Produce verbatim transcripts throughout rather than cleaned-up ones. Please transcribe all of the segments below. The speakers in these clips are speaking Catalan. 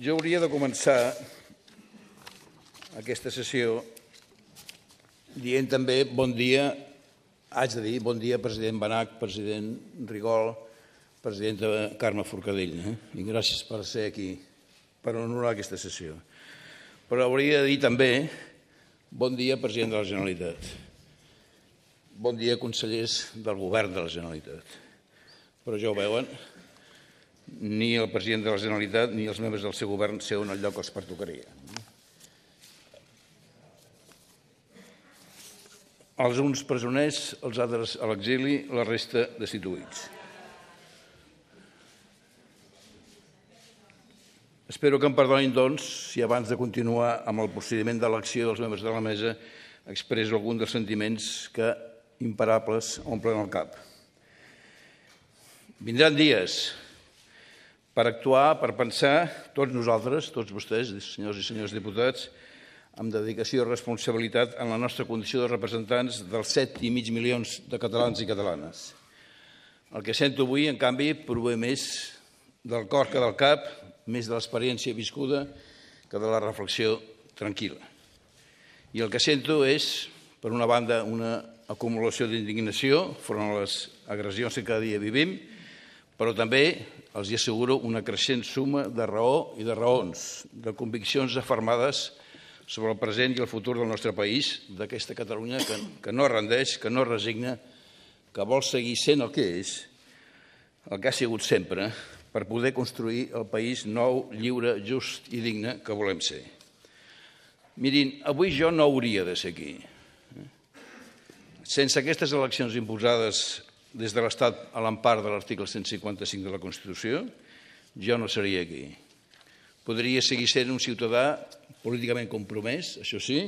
Jo hauria de començar aquesta sessió dient també bon dia, haig de dir bon dia president Benach, president Rigol, presidenta Carme Forcadell, eh? I gràcies per ser aquí, per honorar aquesta sessió. Però hauria de dir també bon dia president de la Generalitat, bon dia consellers del govern de la Generalitat. Però ja ho veuen, ni el president de la Generalitat ni els membres del seu govern seuen al lloc que els pertocaria. Els uns presoners, els altres a l'exili, la resta destituïts. Espero que em perdonin, doncs, si abans de continuar amb el procediment d'elecció dels membres de la mesa expresso algun dels sentiments que, imparables, omplen el cap. Vindran dies per actuar, per pensar, tots nosaltres, tots vostès, senyors i senyors diputats, amb dedicació i responsabilitat en la nostra condició de representants dels set i mig milions de catalans i catalanes. El que sento avui, en canvi, prové més del cor que del cap, més de l'experiència viscuda que de la reflexió tranquil·la. I el que sento és, per una banda, una acumulació d'indignació front a les agressions que cada dia vivim, però també, els hi asseguro, una creixent suma de raó i de raons, de conviccions afermades sobre el present i el futur del nostre país, d'aquesta Catalunya que, que no rendeix, que no resigna, que vol seguir sent el que és, el que ha sigut sempre, per poder construir el país nou, lliure, just i digne que volem ser. Mirin, avui jo no hauria de ser aquí. Sense aquestes eleccions imposades des de l'Estat a l'empar de l'article cent cinquanta-cinc de la Constitució, jo no seria aquí. Podria seguir sent un ciutadà políticament compromès, això sí,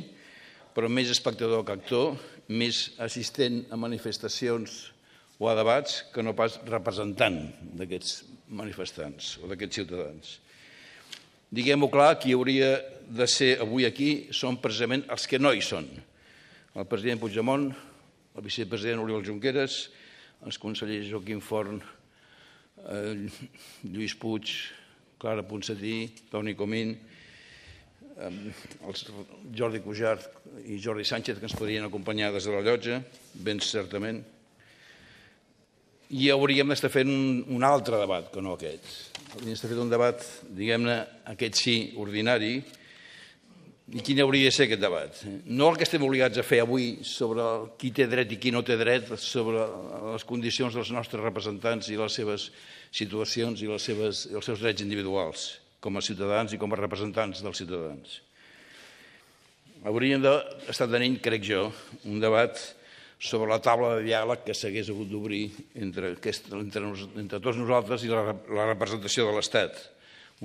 però més espectador que actor, més assistent a manifestacions o a debats que no pas representant d'aquests manifestants o d'aquests ciutadans. Diguem-ho clar, qui hauria de ser avui aquí són precisament els que no hi són. El president Puigdemont, el vicepresident Oriol Junqueras, els consellers Joaquim Forn, eh, Lluís Puig, Clara Ponsatí, Toni Comín, eh, els Jordi Cuixart i Jordi Sánchez, que ens podrien acompanyar des de la llotja, ben certament. I hauríem d'estar fent un, un altre debat que no aquest. Hauríem d'estar fent un debat, diguem-ne, aquest sí, ordinari. I quin hauria de ser aquest debat? No el que estem obligats a fer avui sobre qui té dret i qui no té dret, sobre les condicions dels nostres representants i les seves situacions i les seves, els seus drets individuals, com a ciutadans i com a representants dels ciutadans. Hauríem d'estar tenint, crec jo, un debat sobre la taula de diàleg que s'hagués hagut d'obrir entre, entre, entre tots nosaltres i la, la representació de l'Estat.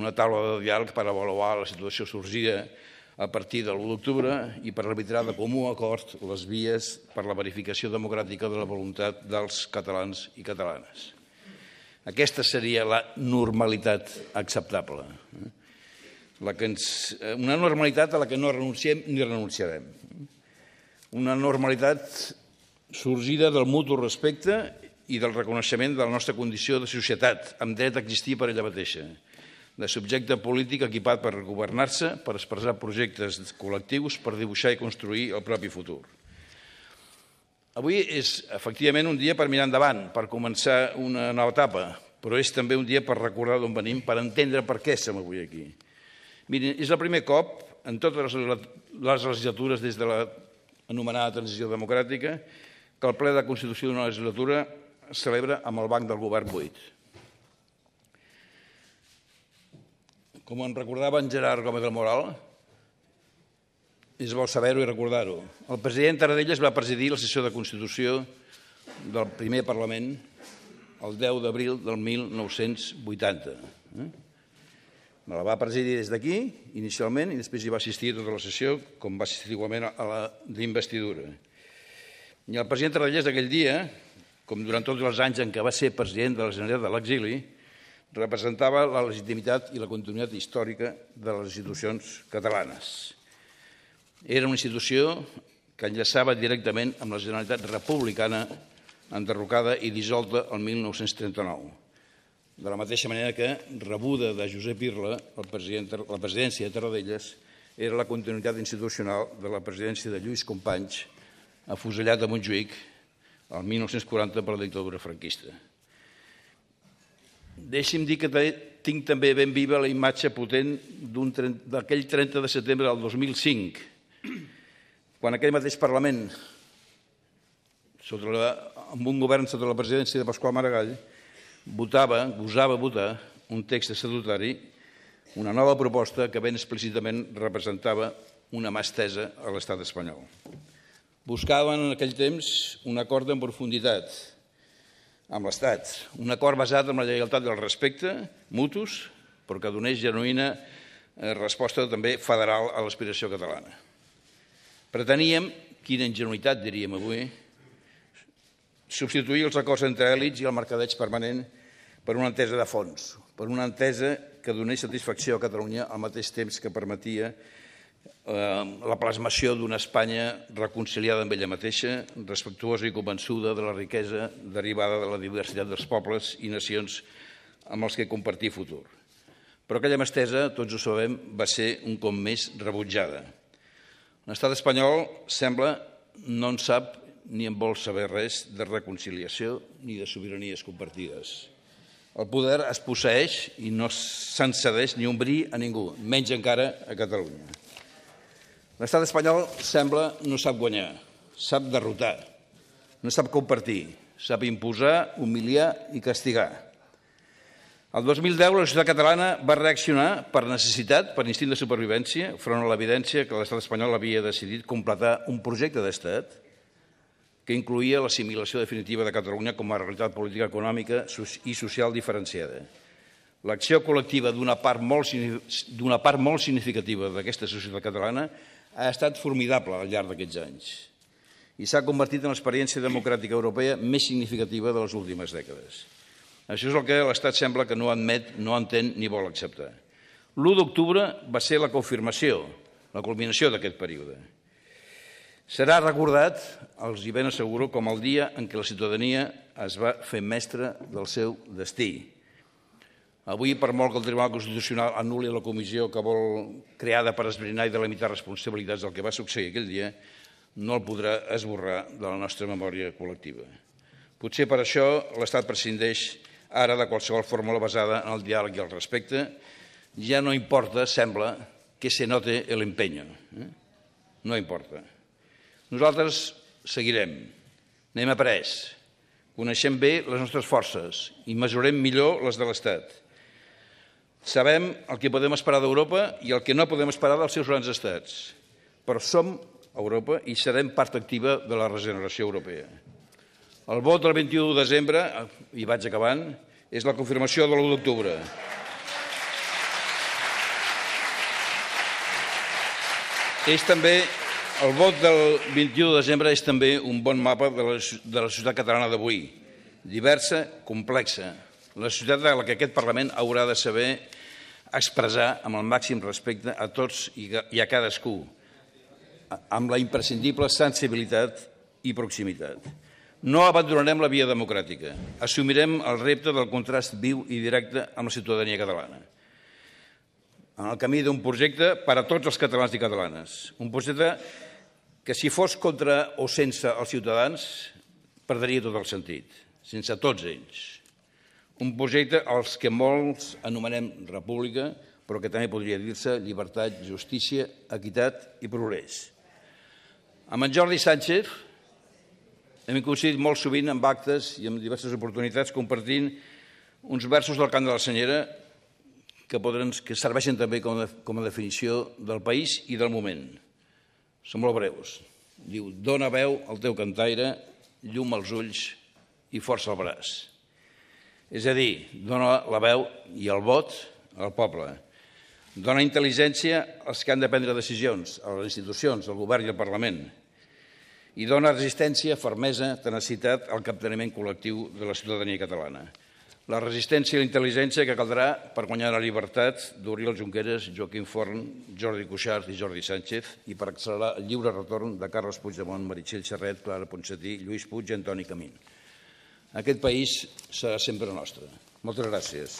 Una taula de diàleg per avaluar la situació sorgida a partir de l'u d'octubre i per arbitrar de comú acord les vies per la verificació democràtica de la voluntat dels catalans i catalanes. Aquesta seria la normalitat acceptable. La que ens, una normalitat a la que no renunciem ni renunciarem. Una normalitat sorgida del mutu respecte i del reconeixement de la nostra condició de societat, amb dret a existir per ella mateixa, de subjecte polític equipat per governar-se, per expressar projectes col·lectius, per dibuixar i construir el propi futur. Avui és, efectivament, un dia per mirar endavant, per començar una nova etapa, però és també un dia per recordar d'on venim, per entendre per què som avui aquí. Mirin, és el primer cop en totes les legislatures des de l'anomenada transició democràtica que el ple de constitució d'una legislatura es celebra amb el banc del govern buit. Com en recordava en Gerard Gómez del Moral, és bo saber-ho i recordar-ho. El president Tarradellas va presidir la sessió de Constitució del primer Parlament el deu d'abril del mil nou-cents vuitanta. Me la va presidir des d'aquí, inicialment, i després hi va assistir a tota la sessió, com va assistir igualment a la d'investidura. I el president Tarradellas aquell dia, com durant tots els anys en què va ser president de la Generalitat de l'exili, representava la legitimitat i la continuïtat històrica de les institucions catalanes. Era una institució que enllaçava directament amb la Generalitat republicana enderrocada i dissolta el mil nou-cents trenta-nou. de la mateixa manera que, rebuda de Josep Irla, la presidència de Tarradellas era la continuïtat institucional de la presidència de Lluís Companys, afusellat a Montjuïc el mil nou-cents quaranta per la dictadura franquista. Deixi'm dir que tinc també ben viva la imatge potent d'aquell trenta de setembre del dos mil cinc, quan aquell mateix Parlament, amb un govern sota la presidència de Pasqual Maragall, votava, gosava votar un text estatutari, una nova proposta que ben explícitament representava una mà estesa a l'estat espanyol. Buscaven en aquell temps un acord en profunditat amb l'Estat, un acord basat en la lleialtat i el respecte mutus, però que donés genuïna resposta també federal a l'aspiració catalana. Preteníem, quina ingenuïtat diríem avui, substituir els acords entre èlits i el mercadeig permanent per una entesa de fons, per una entesa que donés satisfacció a Catalunya al mateix temps que permetia la plasmació d'una Espanya reconciliada amb ella mateixa, respectuosa i convençuda de la riquesa derivada de la diversitat dels pobles i nacions amb els que compartir futur. Però aquella mà estesa, tots ho sabem, va ser un cop més rebutjada. L'estat espanyol sembla no en sap ni en vol saber res de reconciliació ni de sobiranies compartides. El poder es posseeix i no se'n cedeix ni un bri a ningú, menys encara a Catalunya. L'estat espanyol sembla no sap guanyar, sap derrotar, no sap compartir, sap imposar, humiliar i castigar. El dos mil deu la societat catalana va reaccionar per necessitat, per instint de supervivència, front a l'evidència que l'estat espanyol havia decidit completar un projecte d'estat que incloïa l'assimilació definitiva de Catalunya com a realitat política, econòmica i social diferenciada. L'acció col·lectiva d'una part molt, d'una part molt significativa d'aquesta societat catalana ha estat formidable al llarg d'aquests anys i s'ha convertit en l'experiència democràtica europea més significativa de les últimes dècades. Això és el que l'Estat sembla que no admet, no entén ni vol acceptar. l'u d'octubre va ser la confirmació, la culminació d'aquest període. Serà recordat, els hi ben asseguro, com el dia en què la ciutadania es va fer mestra del seu destí. Avui, per molt que el Tribunal Constitucional anul·li la comissió que vol creada per esbrinar i delimitar responsabilitats del que va succeir aquell dia, no el podrà esborrar de la nostra memòria col·lectiva. Potser per això l'Estat prescindeix ara de qualsevol fórmula basada en el diàleg i el respecte. Ja no importa, sembla, que se note el empeño. No importa. Nosaltres seguirem, anem a pres, coneixem bé les nostres forces i mesurem millor les de l'Estat. Sabem el que podem esperar d'Europa i el que no podem esperar dels seus grans estats, però som Europa i serem part activa de la regeneració europea. El vot del vint-i-u de desembre, i vaig acabant, és la confirmació de l'u d'octubre. És també, el vot del vint-i-u de desembre és també un bon mapa de la, de la societat catalana d'avui, diversa, complexa, la societat de la que aquest Parlament haurà de saber expressar amb el màxim respecte a tots i a cadascú, amb la imprescindible sensibilitat i proximitat. No abandonarem la via democràtica, assumirem el repte del contrast viu i directe amb la ciutadania catalana, en el camí d'un projecte per a tots els catalans i catalanes, un projecte que si fos contra o sense els ciutadans perdria tot el sentit, sense tots ells. Un projecte als que molts anomenem república, però que també podria dir-se llibertat, justícia, equitat i progrés. Amb en Jordi Sánchez hem coincidit molt sovint en actes i en diverses oportunitats compartint uns versos del cant de la Senyera que, poden, que serveixen també com a, com a definició del país i del moment. Són molt breus. Diu, dona veu al teu cantaire, llum als ulls i força al braç. És a dir, dona la veu i el vot al poble. Dona intel·ligència als que han de prendre decisions, a les institucions, al govern i al Parlament. I dona resistència, fermesa, tenacitat al capteniment col·lectiu de la ciutadania catalana. La resistència i la intel·ligència que caldrà per guanyar la llibertat d'Oriol Junqueras, Joaquim Forn, Jordi Cuixart i Jordi Sánchez i per accelerar el lliure retorn de Carles Puigdemont, Meritxell Serret, Clara Ponsatí, Lluís Puig i Antoni Camín. Aquest país serà sempre nostre. Moltes gràcies.